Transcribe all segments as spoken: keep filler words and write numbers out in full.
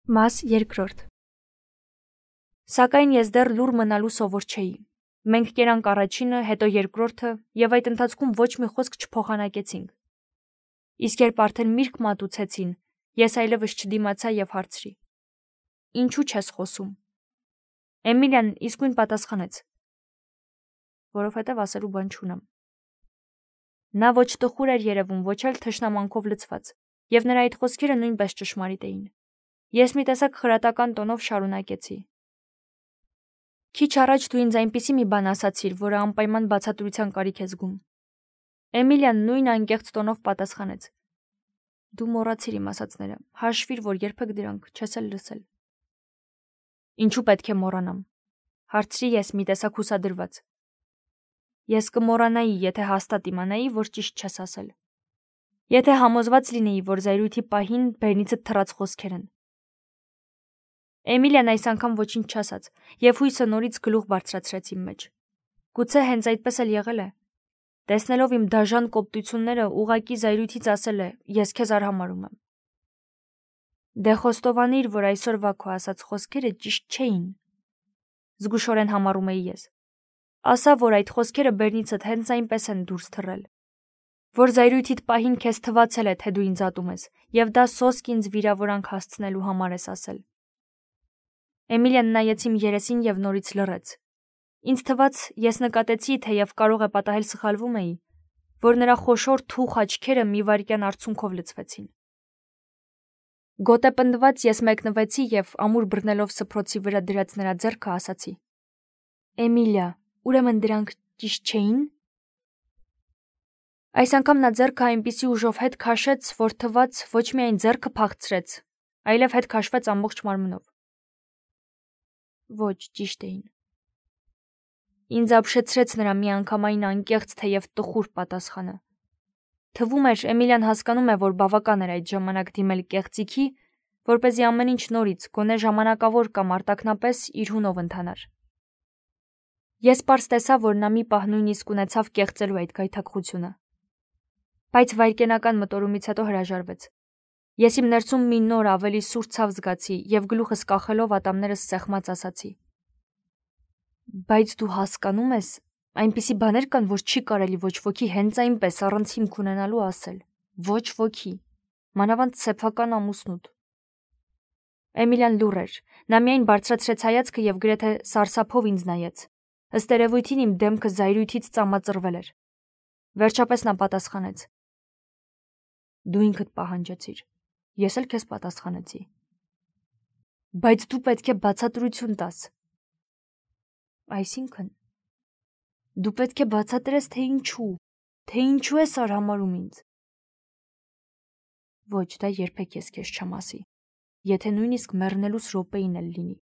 Մաս երկրորդ։ Սակայն ես դեռ լուր մնալու սովոր չէի։ Մենք կերանք առաջինը, հետո երկրորդը, եւ այդ ընթացքում ոչ մի խոսք չփոխանակեցինք։ Իսկ երբ արդեն միրգ մատուցեցին, ես այլևս չդիմացա եւ հարցրի. Ինչու չես խոսում։ Էմիլիան իսկույն պատասխանեց. Որովհետեւ ասելու բան չունեմ։ Նա ոչ տխուր էր երևում, ոչ էլ թշնամանքով լցված, եւ նրա այդ խոսքերը նույնպես ճշմարիտ էին։ Ես մի տեսակ խրատական տոնով շարունակեցի. Քիչ առաջ դու ինձ այնպիսի մի բան ասացիր, որը անպայման բացատրության կարիք է զգում։ Էմիլիան նույն անկեղծ տոնով պատասխանեց. Դու մոռացիր իմ ասածները, հաշվիր, որ երբեք դրանք չես էլ լսել։ Ինչու պետք է մոռանամ։ Հարցրի ես մի տեսակ հուսադրված։ Ես կմոռանայի, եթե հաստատ իմանայի, որ ճիշտ չես ասել։ Եթե համոզված լինեի, որ զայրույթի պահին բերնիցդ թռած խոսքեր են։ Էմիլիան այս անգամ ոչինչ չասաց, եւ հույսը նորից գլուխ բարձրացրեց իմ մեջ։ Գուցե հենց այդպես էլ եղել է։ Տեսնելով իմ դաժան կոպտությունները, ուղակի զայրույթից ասել է. Ես քեզ արհամարհում եմ։ Դե խոստովանիր, որ այսօրվա քո ասած խոսքերը ճիշտ չէին։ Զգուշորեն համառում էի ես։ Ասա, որ այդ խոսքերը բերնիցդ հենց այնպես են դուրս թռել։ Որ զայրույթիդ պահին քեզ թվացել է, թե դու ինձ ատում ես, եւ դա սոսկ ինձ վիրավորանք հասցնելու համար ես ասել։ Էմիլիան նայեց իմ երեսին եւ նորից լռեց։ Ինձ թվաց, ես նկատեցի, թեև կարող է պատահել սխալվում էի, որ նրա խոշոր թուխ աչքերը մի վայրկյան արցունքով լցվեցին։ Գոտեպնդված ես մեկնվեցի եւ ամուր բռնելով սփռոցի վրա դրած նրա ձեռքը ասացի. Էմիլիա, ուրեմն դրանք ճիշտ չէին։ Այս անգամ նա ձեռքը այնպիսի ուժով հետ քաշեց, որ թվաց ոչ միայն ձեռքը փախցրեց, այլև հետ քաշվեց ամբողջ մարմնով։ Ոչ, ճիշտ էին։ Ինձ ապշեցրեց նրա միանգամայն անկեղծ թեև տխուր պատասխանը։ Թվում էր, Էմիլիան հասկանում է, որ բավական էր այդ ժամանակ դիմել կեղծիքի, որպեսզի ամեն ինչ նորից, գոնե ժամանակավոր կամ արտակնապես իր հունով ընթանար։ Ես պարզ տեսա, որ նա մի պահ նույնիսկ ունեցավ կեղծելու այդ գայթակղությունը։ Բայց վայրկենական մտորումից հետո հրաժարվեց։ Ես իմ ներսում մի նոր ավելի սուր ցավ զգացի եւ գլուխս կախելով ատամներս սեղմած ասացի. Բայց դու հասկանում ես, այնպիսի բաներ կան, որ չի կարելի ոչ ոքի հենց այնպես առանց հիմք ունենալու ասել։ Ոչ ոքի, մանավանդ սեփական ամուսնուդ։ Էմիլիան լուռ էր։ Նա միայն բարձրացրեց հայացքը եւ գրեթե սարսափով ինձ նայեց։ Ըստ երևույթին իմ դեմքը զայրույթից ծամածրվել էր։ Վերջապես նա պատասխանեց. Դու ինքդ պահանջեցիր։ Ես էլ քեզ պատասխանեցի։ Բայց դու պետք է բացատրություն տաս։ Այսինքն, դու պետք է բացատրես, թե ինչու, թե ինչու ես արհամարհում ինձ։ Ոչ, դա երբեք ես քեզ չեմ ասի, եթե նույնիսկ մեռնելուս րոպեին էլ լինի։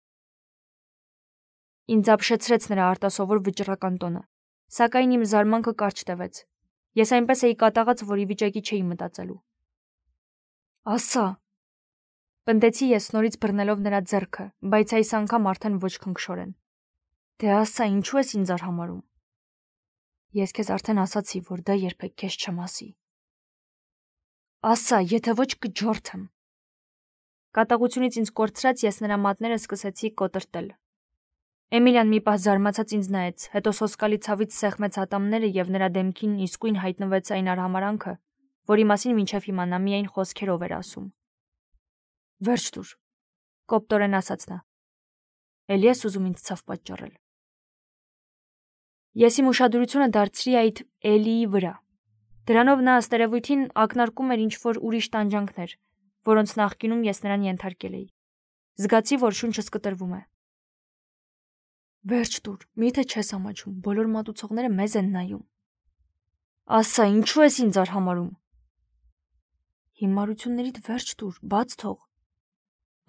Ինձ ապշեցրեց նրա արտասովոր վճռական տոնը, սակայն իմ զարմանքը կարճ տևեց։ Ես այնպես էի կատաղած, որ ի վիճակի չէի մտածելու։ Ասա։ Պնդեցի ես նորից բռնելով նրա ձեռքը, բայց այս անգամ արդեն ոչ քնքշորեն։ Դե ասա, ինչու ես ինձ արհամարհում։ Ես քեզ արդեն ասացի, որ դա երբեք քեզ չեմ ասի։ Ասա, եթե ոչ կջորթեմ։ Կատաղությունից ինձ կորցրած ես նրա մատները սկսեցի կոտրտել։ Էմիլիան մի պահ զարմացած ինձ նայեց, հետո սոսկալի ցավից սեղմեց ատամները եւ նրա դեմքին իսկույն հայտնվեց այն արհամարանքը, որի մասին մինչև հիմա նա միայն խոսքերով էր ասում։ Վերջ տուր, կոպտորեն ասաց նա։ Էլի ես ուզում ինձ ցավ պատճառել։ Ես իմ ուշադրությունը դարձրի այդ էլիի վրա։ Դրանով նա ըստ երևույթին ակնարկում էր ինչ-որ ուրիշ տանջանքներ, որոնց նախկինում ես նրան ենթարկել էի։ Զգացի, որ շունչս կտրվում է։ Վերջ տուր, միթե չես ամաչում, բոլոր մատուցողները մեզ են նայում։ Ասա, ինչու ես ինձ արհամարհում։ Հիմարություններիդ վերջ տուր, բաց թող։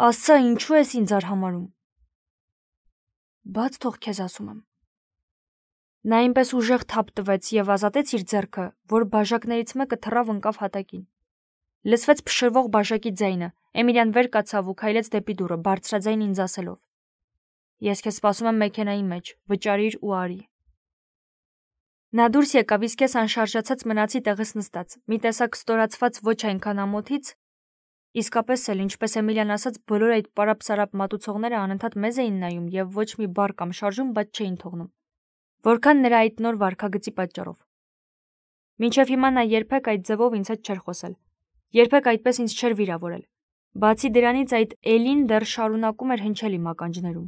Ասա, ինչու ես ինձ արհամարհում։ Բաց թող քեզ ասում եմ։ Նա այնպես ուժեղ թափ տվեց եւ ազատեց իր ձեռքը, որ բաժակներից մեկը թռավ ընկավ հատակին։ Լսվեց փշրվող բաժակի ձայնը։ Էմիլիան վեր կացավ ու քայլեց դեպի դուռը, բարձրաձայն ինձ ասելով. Ես քեզ սպասում եմ մեքենայի մեջ, վճարիր ու արի։ Նա դուրս եկավ, իսկ ես անշարժացած մնացի տեղս նստած, մի տեսակ ստորացված ոչ այնքան ամոթից, Իսկապես էլ, ինչպես Էմիլիան ասաց, բոլոր այդ պարապ-սարապ մատուցողները անընդհատ մեզ էին նայում եւ ոչ մի բառ կամ շարժում բաց չէին թողնում։ Որքան նրա այդ նոր վարքագծի պատճառով։ Մինչև հիմա նա երբեք այդ ձևով ինձ հետ չէր խոսել։ Երբեք այդպես ինձ չէր վիրավորել։ Բացի դրանից այդ Էլին դեռ շարունակում էր հնչել իմ ականջներում,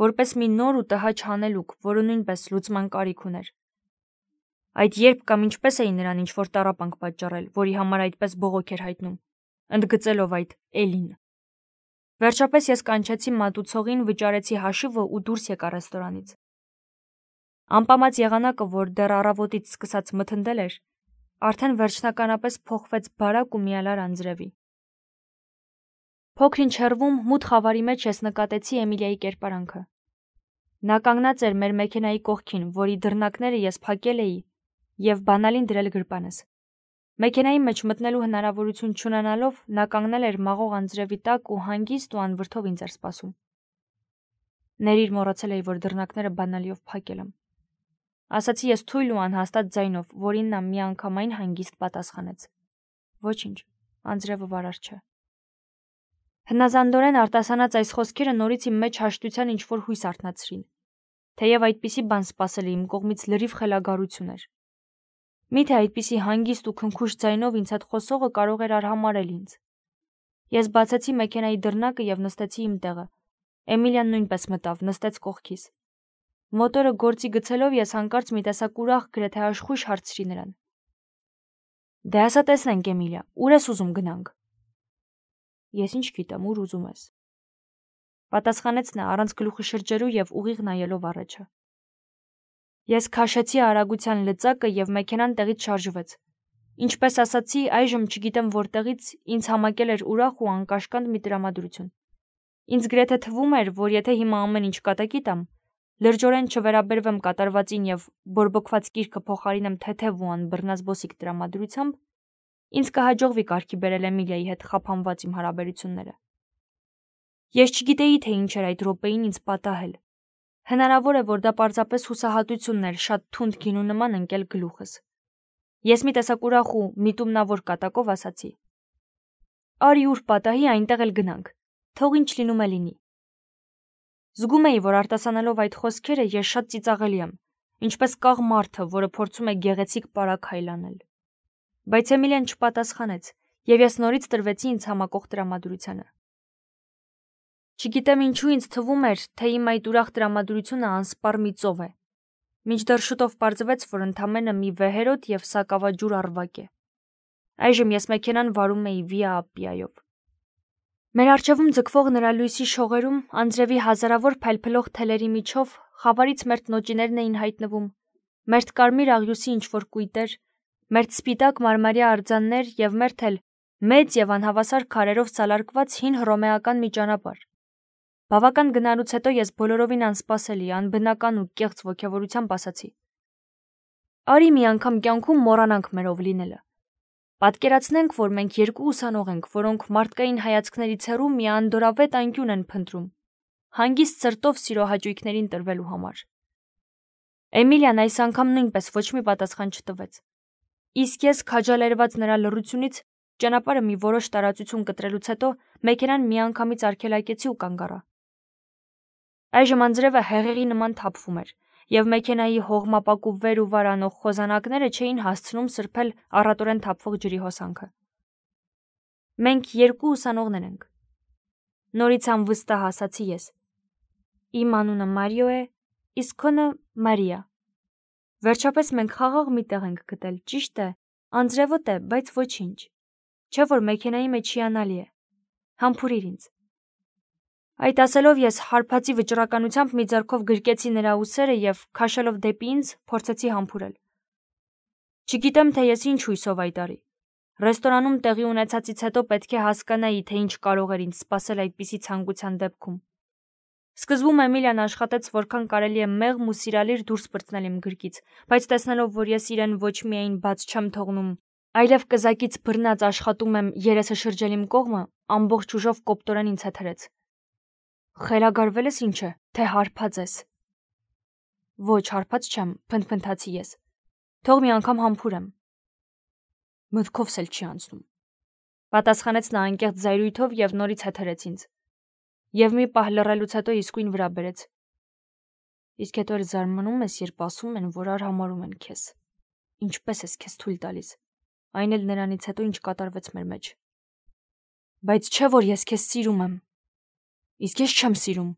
որպես մի նոր ու տհաճ հանելուկ, որը նույնպես լուծման կարիք ուներ։ Այդ երբ կամ ինչպես էին նրան ինչ-որ տառապանք պատճառել, որի համար այդպես բողոք էր հայտնում, ընդգծելով այդ Էլին։ Վերջապես ես կանչեցի մատուցողին, վճարեցի հաշիվը ու դուրս եկա ռեստորանից։ Անպամած եղանակը, որ դեռ առավոտից սկսած մթնդել էր, արդեն վերջնականապես փոխվեց բարակ ու միալար անձրևի։ Փոքր-ինչ հեռվում մութ խավարի մեջ ես նկատեցի Էմիլիայի կերպարանքը։ Նա կանգնած էր մեր մեքենայի կողքին, որի դռնակները ես փակել էի եւ բանալին դրել գրպանս։ Մեքենայի մեջ մտնելու հնարավորություն չունենալով նա կանգնել էր մաղող անձրևի տակ ու հանգիստ ու անվրդով ինձ էր սպասում։ Ներիր, մոռացել էի, որ դռնակները բանալիով փակել եմ։ Ասացի ես թույլ ու անհաստատ ձայնով, որին նա միանգամայն հանգիստ պատասխանեց. Ոչինչ, անձրևը վարար չէ։ Հնազանդորեն արտասանած այս խոսքերը նորից իմ մեջ հաշտության ինչ-որ հույս արթնացրին, թեև այդպիսի բան սպասել իմ կողմից լրիվ խելագարություն էր։ Միթե այդպիսի հանգիստ ու քնքուշ ձայնով ինձ հետ խոսողը կարող էր արհամարել ինձ։ Ես բացեցի մեքենայի դռնակը եւ նստեցի իմ տեղը։ Էմիլիան նույնպես մտավ, նստեց կողքիս։ Մոտորը գործի գցելով ես հանկարծ մի տեսակ ուրախ, գրեթե աշխույժ հարցրի նրան. Դե ասա տեսնենք, Էմիլիա, ուր ես ուզում գնանք։ Ես ինչ գիտեմ, ուր ուզում ես։ Պատասխանեց նա առանց գլուխի շրջելու եւ ուղիղ նայելով առաջը։ Ես քաշեցի արագության լծակը եւ մեքենան տեղից շարժվեց։ Ինչպես ասացի, այժմ չգիտեմ որտեղից ինձ համակել էր ուրախ ու անկաշկանդ մի տրամադրություն։ Ինձ գրեթե թվում էր, որ եթե հիմա ամեն ինչ կատակի տամ, լրջորեն չվերաբերվեմ կատարվածին եւ բորբոքված կիրքը փոխարինեմ թեթև ու անբռնազբոսիկ տրամադրությամբ, ինձ կհաջողվի կարգի բերել Էմիլիայի հետ խափանված իմ հարաբերությունները։ Ես չգիտեի, թե ինչ էր այդ րոպեին ինձ պատահել։ Հնարավոր է, որ դա պարզապես հուսահատությունն էր շատ թունդ գինու նման ընկել գլուխս։ Ես մի տեսակ ուրախ ու միտումնավոր կատակով ասացի. Արի ուր պատահի, այնտեղ էլ գնանք, թող ինչ լինում է լինի։ Զգում էի, որ արտասանելով այդ խոսքերը ես շատ ծիծաղելի եմ, ինչպես կաղ մարդը, որը փորձում է գեղեցիկ պարագայլ անել։ Բայց Էմիլիան չպատասխանեց, եւ ես նորից տրվեցի ինձ համակող տրամադրությանը։ Չգիտեմ ինչու ինձ թվում էր, թե իմ այդ ուրախ տրամադրությունը անսպառ մի ծով է։ Մինչդեռ շուտով պարզվեց, որ ընդամենը մի վեհերոտ եւ սակավաջուր առվակ է։ Այժմ ես մեքենան վարում էի Վիա Ապպիայով։ Մեր առջևում ձգվող նրա լույսի շողերում անձրևի հազարավոր փայլփլող թելերի միջով խավարից մերթ նոճիներն էին հայտնվում, մերթ կարմիր աղյուսի ինչ-որ կույտեր, մերթ սպիտակ մարմարյա արձաններ եւ մերթ էլ մեծ եւ անհավասար քարերով սալարկված հին հռոմեական մի ճանապարհ։ Բավական գնալուց հետո ես բոլորովին անսպասելի, անբնական ու կեղծ ոգևորությամբ ասացի. Արի մի անգամ կյանքում մոռանանք մերով լինելը։ Պատկերացնենք, որ մենք երկու ուսանող ենք, որոնք մարդկային հայացքներից հեռու մի անդորավետ անկյուն են փնտրում, հանգիստ սրտով սիրո հաճույքներին տրվելու համար։ Էմիլիան այս անգամ նույնպես ոչ մի պատասխան չտվեց։ Իսկ ես քաջալերված նրա լռությունից ճանապարհը մի որոշ տարածություն կտրելուց հետո մեքենան միանգամից արգելակեցի ու կանգ առա։ Այժմ անձրևը հեղեղի նման թափվում էր, եւ մեքենայի հողմապակու վեր ու վար անող խոզանակները չէին հասցնում սրբել առատորեն թափվող ջրի հոսանքը։ Մենք երկու ուսանողներ ենք։ Նորից անվստահ ասացի ես։ Իմ անունը Մարիո է, իսկ քոնը Մարիա։ Վերջապես մենք խաղաղ մի տեղ ենք գտել, ճիշտ է, անձրևոտ է, բայց ոչինչ։ Չէ՞ որ մեքենայի մեջ հիանալի է։ Համբուրիր ինձ։ Այդ ասելով ես հարբածի վճռականությամբ մի ձեռքով գրկեցի նրա ուսերը եւ քաշելով դեպի ինձ փորձեցի համբուրել։ Չգիտեմ, թե ես ինչ հույսով այդ արի։ Ռեստորանում տեղի ունեցածից հետո պետք է հասկանայի, թե ինչ կարող էր ինձ սպասել այդպիսի ցանկության դեպքում։ Սկզբում Էմիլիան աշխատեց որքան կարելի է մեղմ ու սիրալիր դուրս պրծնել իմ գրկից, բայց տեսնելով, որ ես իրեն ոչ միայն բաց չեմ թողնում, այլև կզակից բռնած աշխատում եմ երեսը շրջել իմ կողմը, ամբողջ ուժով կոպտորեն ինձ հետ հրեց։ Խելագարվել ես ինչ է, թե հարբած ես։ Ոչ, հարբած չեմ, փնթփնթացի ես։ Թող մի անգամ համբուրեմ։ Մտքովս էլ չի անցնում։ Պատասխանեց նա անկեղծ զայրույթով և նորից հետհրեց ինձ։ Եվ մի պահ լռելուց հետո իսկույն վրա բերեց։ Իսկ հետո էլ զարմանում ես, երբ ասում են, որ արհամարհում են քեզ։ Ինչպես ես քեզ թույլ տալիս։ Այն էլ նրանից հետո ինչ կատարվեց մեր մեջ։ Բայց չէ որ ես քեզ սիրում եմ։ Իսկ ես չեմ սիրում։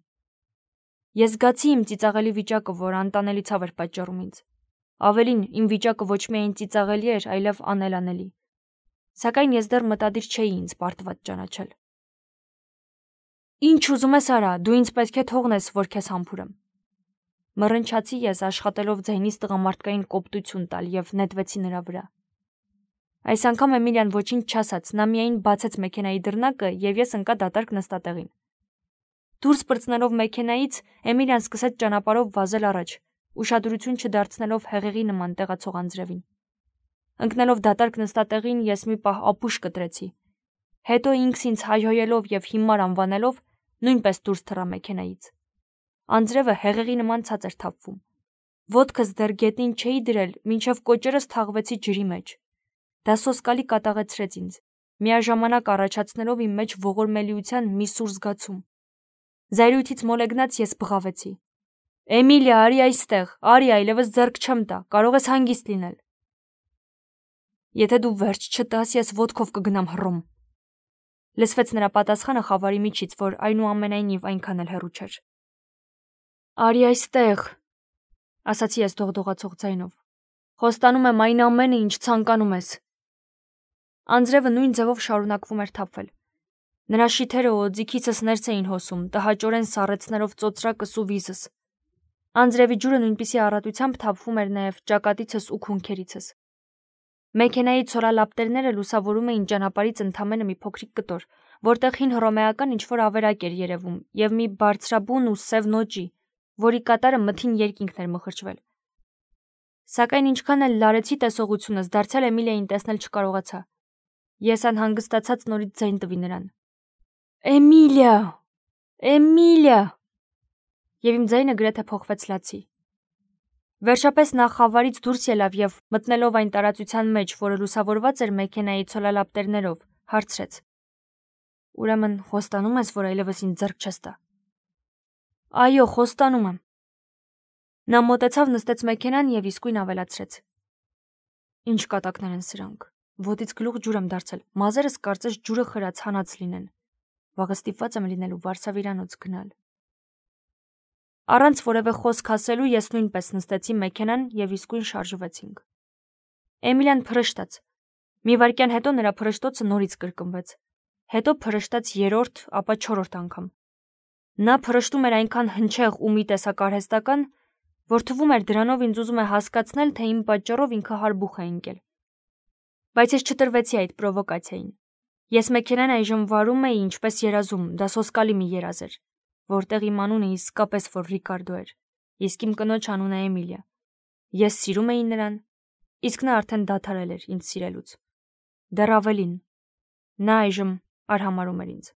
Ես զգացի իմ ծիծաղելի վիճակը, որ անտանելի ցավ էր պատճառում ինձ։ Ավելին, իմ վիճակը ոչ միայն ծիծաղելի էր, այլև անելանելի։ Սակայն ես դեռ մտադիր չէի ինձ պարտված ճանաչել։ Ինչ ուզում ես արա, դու ինձ պետք է թողնես, որ քեզ համբուրեմ։ Մռնչացի ես, աշխատելով ձայնից տղամարդկային կոպտություն տալ և նետվեցի նրա վրա։ Այս անգամ Էմիլիան ոչինչ չասաց, նա միայն բացեց մեքենայի դռնակը և ես ընկա դատարկ նստատեղին։ Դուրս պրծնելով մեքենայից, Էմիլիան սկսեց ճանապարհով վազել առաջ, ուշադրություն չդարձնելով հեղեղի նման տեղացող անձրևին։ Ընկնելով դատարկ նստատեղին, ես մի պահ ապուշ կտրեցի։ Հետո ինքս ինձ հայհոյելով և հիմար անվանելով, նույնպես դուրս թռա մեքենայից։ Անձրևը հեղեղի նման ցած էր թափվում։ Ոտքս դեռ գետնին չէի դրել, մինչև կոճերս թաղվեցի ջրի մեջ։ Դա սոսկալի կատաղեցրեց ինձ, միաժամանակ առաջացնելով իմ մեջ ողորմելիության մի սուր զգացում։ Զայրույթից մոլեգնած ես բղավեցի. Էմիլիա, արի այստեղ, արի, այլևս ձեռք չեմ տա, կարող ես հանգիստ լինել։ Եթե դու վերջ չտաս, ես ոտքով կգնամ հռոմ։ Լսվեց նրա պատասխանը խավարի միջից, որ այնուամենայնիվ այնքան էլ հեռու չէր։ Արի այստեղ, ասացի ես դողդողացող ձայնով։ Խոստանում եմ այն ամենը, ինչ ցանկանում ես։ Անձրևը նույն ձևով շարունակվում էր թափվել։ Նրա շիթերը օձիքիցս ներս էին հոսում, տհաճորեն սառեցնելով ծոծրակս ու վիզս։ Անձրևի ջուրը նույնպիսի առատությամբ թափվում էր նաև ճակատիցս ու քունքերիցս։ Մեքենայի ցորալապտերները լուսավորում էին ճանապարհից ընդամենը մի փոքրիկ կտոր, որտեղ հին հռոմեական ինչ-որ ավերակ էր երևում, և մի բարձրաբուն ու սև նոճի, որի կատարը մթին երկինքն էր մխրճվել։ Սակայն ինչքան էլ լարեցի տեսողությունս, դարձյալ Էմիլիային տեսնել չկարողացա։ Ես անհանգստացած նորից ձայն տվի նրան։ Էմիլիա, Էմիլիա, և իմ ձայնը գրեթե փոխվեց լացի։ Վերջապես նա խավարից դուրս ելավ և, մտնելով այն տարածության մեջ, որը լուսավորված էր մեքենայի ցոլալապտերներով, հարցրեց. Ուրեմն խոստանում ես, որ այլևս ինձ ձեռք չես տա։ Այո, խոստանում եմ։ Նա մոտեցավ, նստեց մեքենան և իսկույն ավելացրեց. Ինչ կատակներ են սրանք։ Ոտից գլուխ ջուր եմ դարձել, մազերս կարծես ջուրը խրած հանած լինեն։ Վաղը ստիպված եմ լինելու վարսավիրանոց գնալ։ Առանց որևէ խոսք ասելու ես նույնպես նստեցի մեքենան և իսկույն շարժվեցինք։ Էմիլիան փռշտաց։ Մի վայրկյան հետո նրա փռշտոցը նորից կրկնվեց։ Հետո փռշտաց երրորդ, ապա չորրորդ անգամ։ Նա փռշտում էր այնքան հնչեղ ու մի տեսակ արհեստական, որ թվում էր դրանով ինձ ուզում է հասկացնել, թե իմ պատճառով ինքը հարբուխ է ընկել։ Բայց ես չտրվեցի այդ պրովոկացիային։ Ես մեքենան այժմ վարում էի ինչպես երազում, դա սոսկալի մի երազ էր, որտեղ իմ անունը իսկապես որ Ռիկարդո էր, իսկ իմ կնոջ անունը Էմիլիա։ Ես սիրում էի նրան, իսկ նա արդեն դադարել էր ինձ սիրելուց։ Դեռ ավելին, նա այժմ արհամարհում էր ինձ։